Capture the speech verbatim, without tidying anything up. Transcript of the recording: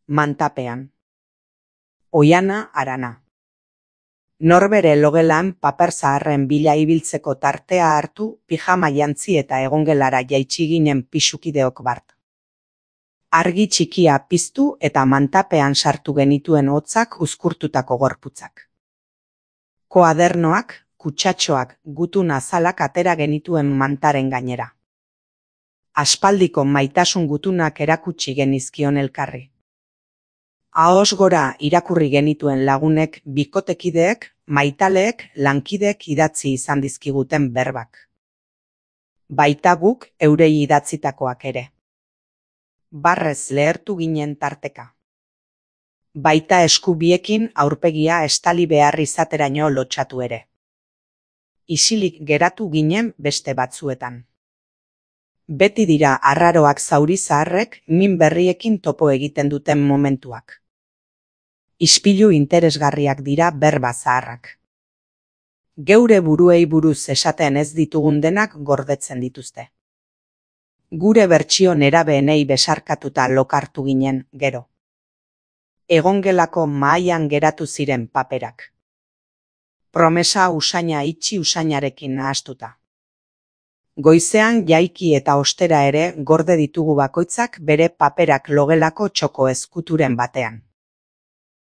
mantapean. Oiana Arana. Norbere logelan paper zaharren bila ibiltzeko tartea hartu, pijama jantzi eta egongelara jaitsi ginen pisukideok bart. Argi txikia piztu eta mantapean sartu genituen hotzak uzkurtutako gorputzak. Koadernoak, kutsatxoak, gutun azalak atera genituen mantaren gainera. Aspaldiko maitasun gutunak erakutsi genizkion elkarri. Ahoz gora irakurri genituen lagunek, bikotekideek, maitaleek, lankideek idatzi izan dizkiguten berbak. Baita guk eurei idatzitakoak ere. Barrez lehertu ginen tarteka. Baita eskubiekin aurpegia estali behar izateraino lotxatu ere. Isilik geratu ginen beste batzuetan. Beti dira arraroak zauri zaharrek min berriekin topo egiten duten momentuak. Ispilu interesgarriak dira berba zaharrak. Geure buruei buruz esaten ez ditugun denak gordetzen dituzte. Gure bertsio nerabeenei besarkatuta lokartu ginen, gero. Egongelako mahaian geratu ziren paperak. Promesa usaina itxi usainarekin nahastuta. Goizean jaiki eta ostera ere gorde ditugu bakoitzak bere paperak logelako txoko ezkuturen batean.